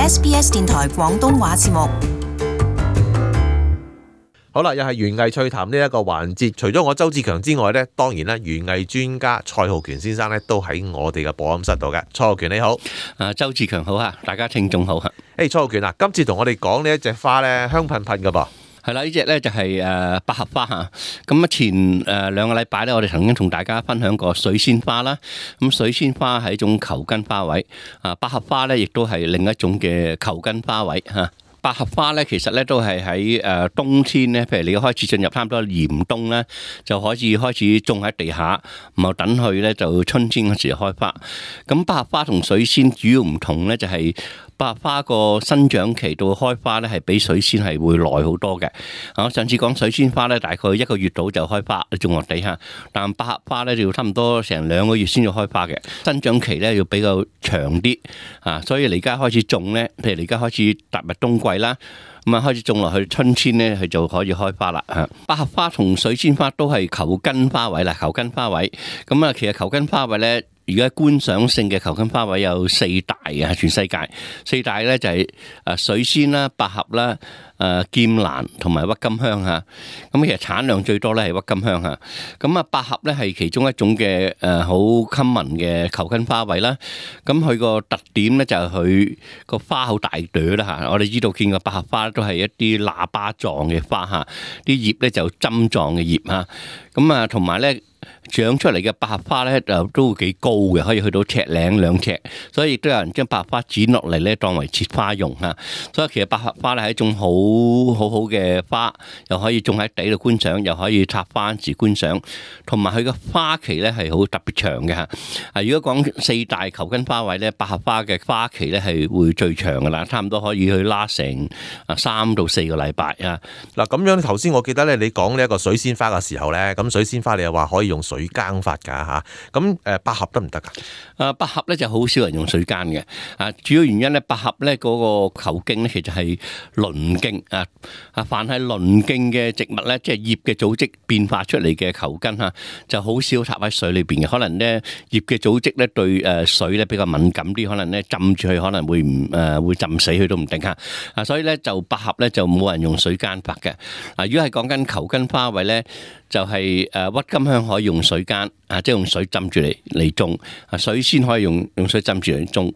SBS 電台廣東話節目。好啦，又係園藝趣談呢一個環節。除咗我周志強之外呢，當然咧園藝專家蔡浩權先生咧都喺我哋嘅播音室度嘅。蔡浩權你好，周志強好啊，大家聽眾好啊。蔡浩權啊，今次同我哋講呢一隻花咧香噴噴噶噃。係啦，呢隻咧就係百合花嚇。咁啊前兩個禮拜咧，我哋曾經同大家分享過水仙花啦。咁水仙花係一種球根花卉，百合花咧亦都係另一種嘅球根花卉嚇。百合花咧，其實咧都係喺冬天咧，譬如你開始進入差唔多嚴冬咧，就可以開始種喺地下，然後等佢咧就春天嗰時開花。咁百合花同水仙主要唔同咧，就係百合花個生長期到開花咧，係比水仙係會耐好多嘅。我上次講水仙花咧，大概1個月到就開花，種落地下。但百合花咧就要差唔多成2個月先至開花嘅，生長期咧要比較長啲啊。所以你而家開始種咧，譬如你而家開始踏入冬季啦，咁啊開始種落去，春天咧佢就可以開花啦嚇。百合花同水仙花都係球根花卉啦，球根花卉。咁啊，其實球根花卉咧，而家觀賞性嘅球根花卉有4大嘅，全世界4大咧就係水仙啦、百合啦、劍蘭同埋鬱金香嚇。咁其實產量最多咧係鬱金香嚇。咁啊，百合咧係其中一種嘅好 common 嘅球根花卉啦。咁佢個特點咧就係佢個花好大朵啦嚇。我哋知道見過百合花都係一啲喇叭狀嘅花嚇，啲葉咧就針狀嘅葉嚇。咁啊，同埋咧，長出嚟嘅百合花咧就都幾高嘅，可以去到1尺2尺，所以亦都有人將百合花剪落嚟咧當為切花用嚇。所以其實百合花咧係一種好嘅花，又可以種喺地度觀賞，又可以插花時觀賞，同埋佢嘅花期咧係好特別長嘅嚇。如果講4大球根花卉咧，百合花嘅花期咧係會最長噶啦，差唔多可以去拉成3到4個禮拜啊。嗱咁樣頭先我記得咧，你講呢一個水仙花嘅時候咧，咁水仙花你又話可以用水耕法㗎嚇，咁百合得唔得㗎？百合咧就好少人用水耕嘅，主要原因咧，百合咧嗰個球莖咧其實係鱗莖凡係鱗莖嘅植物咧，即係葉嘅組織變化出嚟嘅球根嚇，就好少插喺水裏邊嘅。可能咧葉嘅組織咧對水咧比較敏感啲，可能咧浸住佢可能會會浸死佢都唔定嚇。所以咧就百合咧就冇人用水耕法嘅。如果係講緊球根花卉咧，就係鬱金香可以用水耕，即係用水浸住嚟種，水仙可以用水浸住嚟種，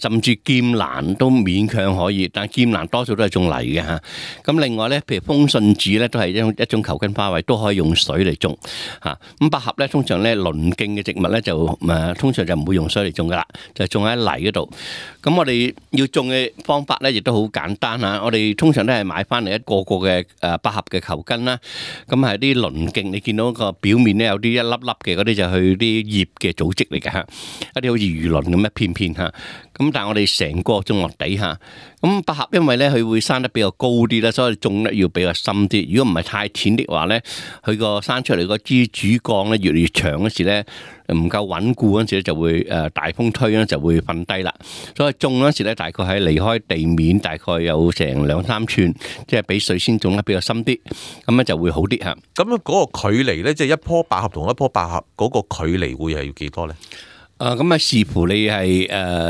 甚至劍蘭都勉強可以，但係劍蘭多數都係種泥嘅嚇。咁另外咧，譬如風信子咧都係一種球根花卉，都可以用水嚟種嚇。咁百合咧通常咧鱗莖嘅植物咧就通常就唔會用水嚟種噶啦，就種喺泥嗰度。咁我哋要種嘅方法咧亦都好簡單嚇。我哋通常都係買翻嚟一個嘅百合嘅球根啦，咁係啲鱗莖，你見到個表面咧有啲一粒粒嘅嗰啲就係佢啲葉嘅組織嚟嘅嚇，一啲好似魚鱗咁一片片嚇。咁但係我哋成個種落地下，咁百合因為咧佢會生得比較高啲啦，所以種得要比較深啲。如果唔係太淺的話咧，佢個生出嚟個支主幹咧越嚟越長嗰時咧，唔夠穩固嗰時咧就會大風吹咧就會瞓低啦。所以種嗰時咧大概係離開地面大概有成2-3寸，即係比水仙種得比較深啲，咁咧就會好啲嚇。咁嗰個距離咧，即係一棵百合同一棵百合嗰個距離會係要幾多咧？咁視乎你係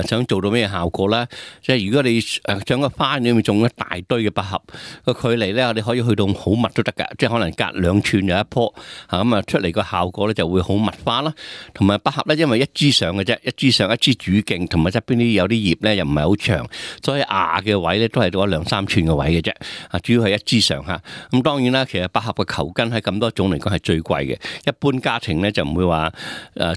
想做到咩效果啦。即係如果你將個花裏面種一大堆嘅百合，個距離咧，我哋可以去到好密都得㗎。即係可能隔2寸有一棵，咁出嚟個效果咧就會好密花啦。同埋百合咧，因為一枝上嘅啫，一枝上一枝主莖，同埋側邊啲有啲葉咧又唔係好長，所以芽嘅位咧都係到2-3寸嘅位嘅啫。主要係一枝上嚇。咁當然啦，其實百合嘅球根喺咁多種嚟講係最貴嘅。一般家庭咧就唔會話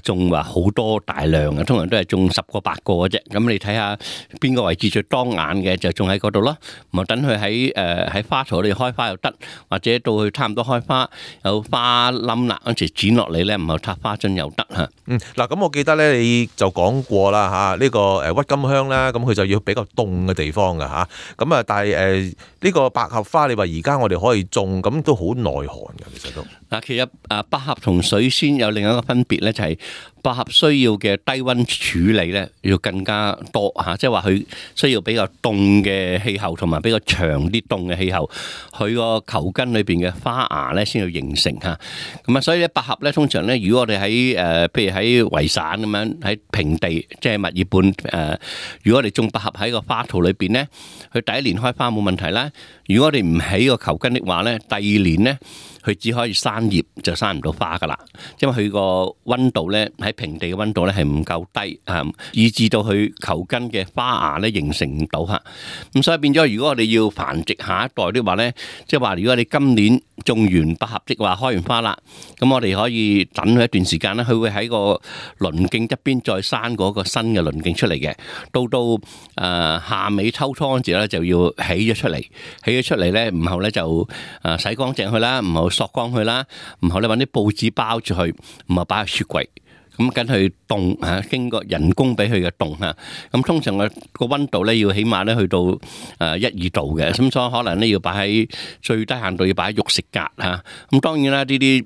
種話好多大量嘅，通常都係種10個8個嘅啫。咁你睇下邊個位置最當眼嘅就種喺嗰度咯。咁等佢喺花槽裏開花又得，或者到佢差唔多開花有花冧啦，嗰時剪落嚟咧，唔係插花樽又得嚇。嗱咁我記得咧，你就講過啦嚇，呢個鬱金香啦，咁佢就要比較凍嘅地方㗎嚇。咁但係呢個百合花，你話而家我哋可以種，咁都好耐寒㗎，其實都。嗱，其實百合同水仙有另一個分別咧，就係百合需要嘅低溫處理咧要更加多嚇，即係話佢需要比較凍嘅氣候同埋比較長啲凍嘅氣候，佢個球根裏邊嘅花芽咧先要形成嚇。咁啊，所以咧百合咧通常咧，如果我哋喺譬如喺維省咁樣喺平地，即係墨爾本如果我哋種百合喺個花槽裏邊咧，佢第一年開花冇問題啦。如果我哋唔起個球根的話咧，第二年咧，佢只可以生葉就生唔到花噶啦，因為佢個溫度咧喺平地嘅溫度咧係唔夠低啊，以致到佢球根嘅花芽咧形成唔到嚇。咁所以變咗，如果我哋要繁殖下一代的話咧，即係話如果你今年種完百合，即係話開完花啦，咁我哋可以等佢一段時間咧，佢會喺個鱗徑側邊再生嗰個新嘅鱗徑出嚟嘅。到夏尾秋初嗰陣時咧就要起咗出嚟，起咗出嚟咧，然後咧就洗乾淨佢啦，然後索乾佢啦，然後你揾啲報紙包住佢，然後擺喺雪櫃，咁跟佢凍嚇，經過人工俾佢嘅凍嚇。咁通常個溫度咧要起碼咧去到1-2度嘅，咁所以可能咧要擺喺最低限度要擺喺肉食格嚇。咁當然啦，呢啲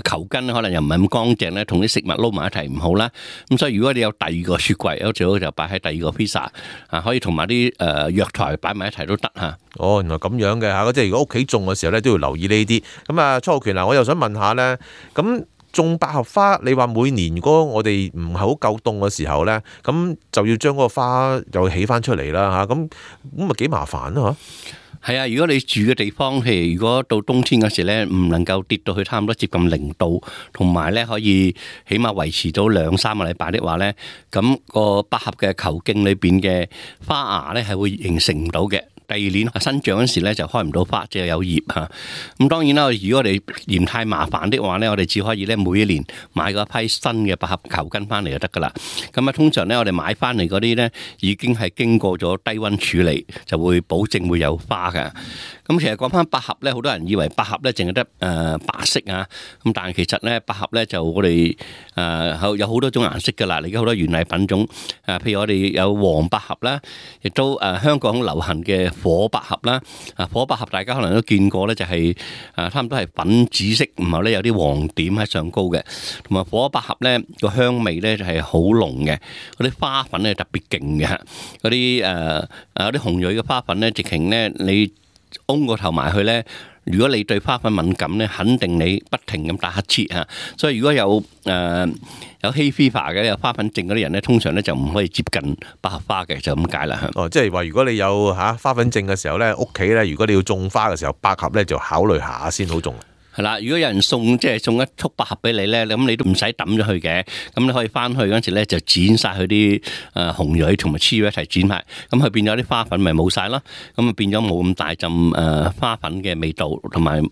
球根可能又唔係咁乾淨咧，同啲食物撈埋一齊唔好啦。咁所以如果你有第二個雪櫃，有最好就擺喺第二個 pizza 啊，可以同埋啲藥材擺埋一齊都得嚇。哦，原來咁樣嘅嚇，即係如果屋企種嘅時候咧都要留意呢啲。咁啊，初浩權嗱，我又想問下咧，咁種百合花，你話每年如果我哋唔係好夠凍嘅時候咧，咁就要將嗰個花又起翻出嚟啦嚇，咁咪幾麻煩咯嚇。係啊，如果你住嘅地方，譬如如果到冬天嗰時咧，唔能夠跌到去差唔多接近0度，同埋咧可以起碼維持到2-3個禮拜的話咧，咁個百合嘅球莖裏邊嘅花芽咧係會形成唔到嘅。第二年生長嗰時咧就開唔到花，只係有葉嚇。咁當然啦，如果我哋嫌太麻煩的話咧，我哋只可以咧每一年買嗰批新嘅百合球根翻嚟就得噶啦。咁啊，通常咧我哋買翻嚟嗰啲咧已經係經過咗低溫處理，就會保證會有花嘅。咁其實講翻百合咧，好多人以為百合咧淨係得白色啊，咁但係其實咧百合咧就我哋有好多種顏色噶啦，而家好多園藝品種譬如我哋有黃百合啦，亦都香港流行嘅火百合啦。火百合大家可能都見過咧，就係差唔多係粉紫色，然後咧有啲黃點喺上高嘅，同埋火百合咧個香味咧就係好濃嘅，嗰啲花粉咧特別勁嘅，嗰啲啲紅蕊嘅花粉咧，直情咧你嗡個頭埋去咧，如果你對花粉敏感咧，肯定你不停咁打乞嗤嚇。所以如果有hay fever 嘅有花粉症嗰啲人咧，通常咧就唔可以接近百合花嘅，就咁解啦。哦，即係話如果你有花粉症嘅時候咧，屋企咧如果你要種花嘅時候，百合咧就考慮下先好種。係啦，如果有人送一束百合俾你咧，咁你都唔使抌咗佢嘅，咁你可以翻去嗰陣時咧就剪晒佢啲紅蕊同埋雌蕊一齊剪埋，咁佢變咗啲花粉咪冇晒咯，咁啊變咗冇咁大陣花粉嘅味道，同埋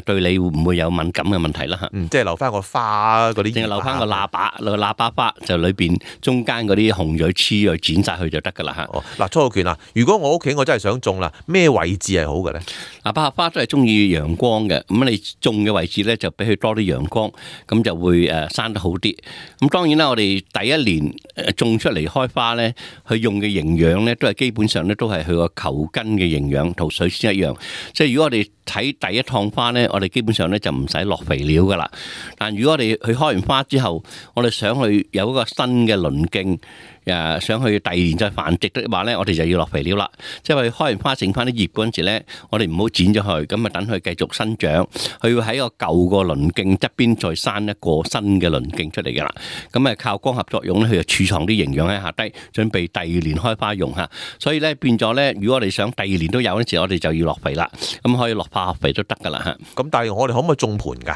對你會唔會有敏感嘅問題啦嚇。即係留翻個花嗰啲，淨係留翻個喇叭花，就裏邊中間嗰啲紅蕊雌蕊剪晒佢就得噶啦嚇。哦，嗱，初浩權啊，如果我屋企我真係想種啦，咩位置係好嘅咧？嗱，百合花都係中意陽光嘅，咁你種嘅位置咧就俾佢多啲陽光，咁就會生得好啲。咁當然啦，我哋第一年種出嚟開花咧，佢用嘅營養咧都係基本上咧都係佢個球根嘅營養同水仙一樣。即係如果我哋睇第一趟花咧，我哋基本上咧就唔使落肥料噶啦。但如果我哋去開完花之後，我哋想去有一個新嘅鱗徑，想去第二年再繁殖的話咧，我哋就要落肥料啦。即係話開完花剩翻啲葉嗰陣時咧，我哋唔好剪咗佢，咁啊等佢繼續生長。佢要喺個舊個鱗徑側邊再生一個新嘅鱗徑出嚟㗎啦。咁啊靠光合作用咧，佢就儲藏啲營養喺下低，準備第二年開花用嚇。所以咧變咗咧，如果我哋想第二年都有嗰陣時，我哋就要落肥啦。咁可以落化學肥都得㗎啦嚇。咁但係我哋可唔可以種盆㗎？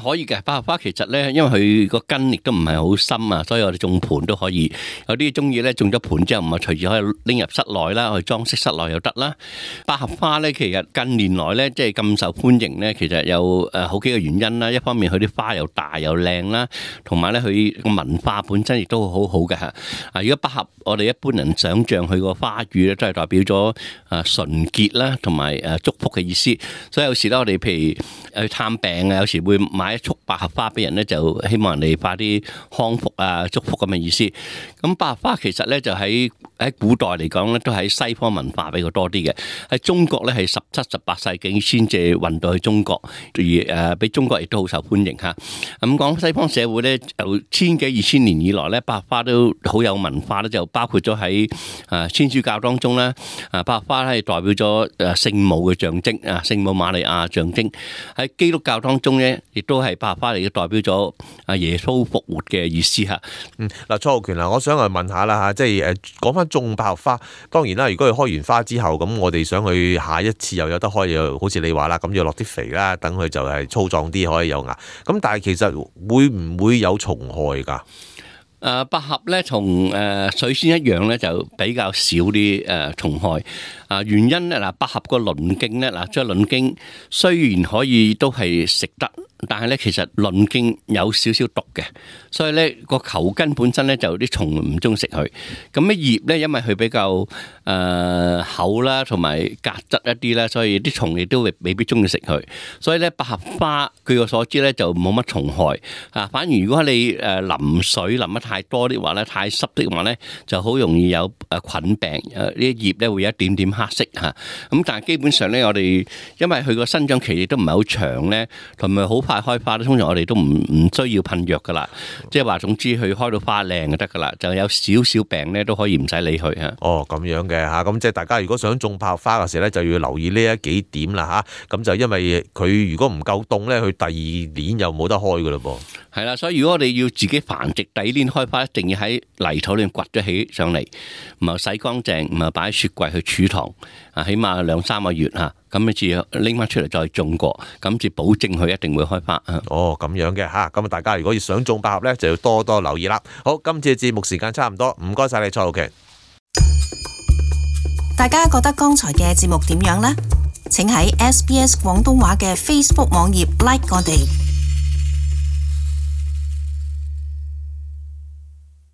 可以嘅，百合花其實咧，因為佢個根亦都唔係好深啊，所以我哋種盆都可以。有啲中意咧種咗盆之後，唔係隨住可以拎入室內啦，去裝飾室內又得啦。百合花咧，其實近年來咧，即係咁受歡迎咧，其實有好幾個原因啦。一方面佢啲花又大又靚啦，同埋咧佢個文化本身亦都好好嘅嚇。如果百合，我哋一般人想像佢個花語咧，都係代表咗純潔啦，同埋祝福嘅意思。所以有時咧，我哋譬如去探病啊，有時會買一束百合花俾人咧，就希望人哋快啲康復啊、祝福咁嘅意思。咁百合花其實咧就喺古代嚟講咧，都喺西方文化比較多啲嘅。喺中國咧係17、18世紀先至運到去中國，而俾中國亦都好受歡迎嚇。咁講西方社會咧，就千幾2000年以來咧，百合花都好有文化咧，就包括咗喺天主教當中咧，百合花係代表咗聖母嘅象徵啊，聖母瑪利亞象徵。喺基督教當中咧，亦都係百合花嚟嘅，代表咗耶穌復活嘅意思嚇。嗱，蔡浩權我想去問下啦嚇，即係講翻種百合花，當然啦，如果佢開完花之後，咁我哋想去下一次又有得開，又好似你話啦，咁要落啲肥啦，等佢就係粗壯啲，可以有芽。咁但係其實會唔會有蟲害㗎？百合咧同水仙一樣咧，就比較少啲蟲害。原因咧嗱，百合個鱗莖咧嗱，即係鱗莖雖然可以都係食得，但係咧其實鱗莖有少少毒嘅，所以咧個球根本身咧就啲蟲唔中意食佢。咁咧葉咧因為佢比較厚啦，同埋夾質一啲啦，所以啲蟲亦都未必中意食佢。所以咧百合花據我所知咧就冇乜蟲害啊。反而如果你淋水淋得太多啲話咧，太濕的話咧，就好容易有菌病。呢啲葉咧會有一點點黑色嚇。咁但係基本上咧，我哋因為佢個生長期亦都唔係好長咧，同埋好快開花咧，通常我哋都唔需要噴藥噶啦。即係話總之佢開到花靚就得噶啦，就有少少病咧都可以唔使理佢嚇。哦，咁樣嘅嚇，咁即係大家如果想種百合花嘅時候咧，就要留意呢一幾點啦嚇。咁就因為佢如果唔夠凍咧，佢第二年又冇得開噶嘞噃。係啦，所以如果我哋要自己繁殖，第二年開花一定要喺泥土裏掘咗起上嚟，唔係洗乾淨，唔係擺喺雪櫃去儲藏，起碼2-3個月嚇，咁你至拎翻出嚟再種過，咁至保證佢一定會開花。哦，咁樣嘅嚇，咁大家如果要想種百合咧，就要多多留意啦。好，今次嘅節目時間差唔多，唔該晒你，蔡浩權。大家覺得剛才嘅節目點樣呢？請喺SBS 廣東話嘅 Facebook 網頁 like 我哋。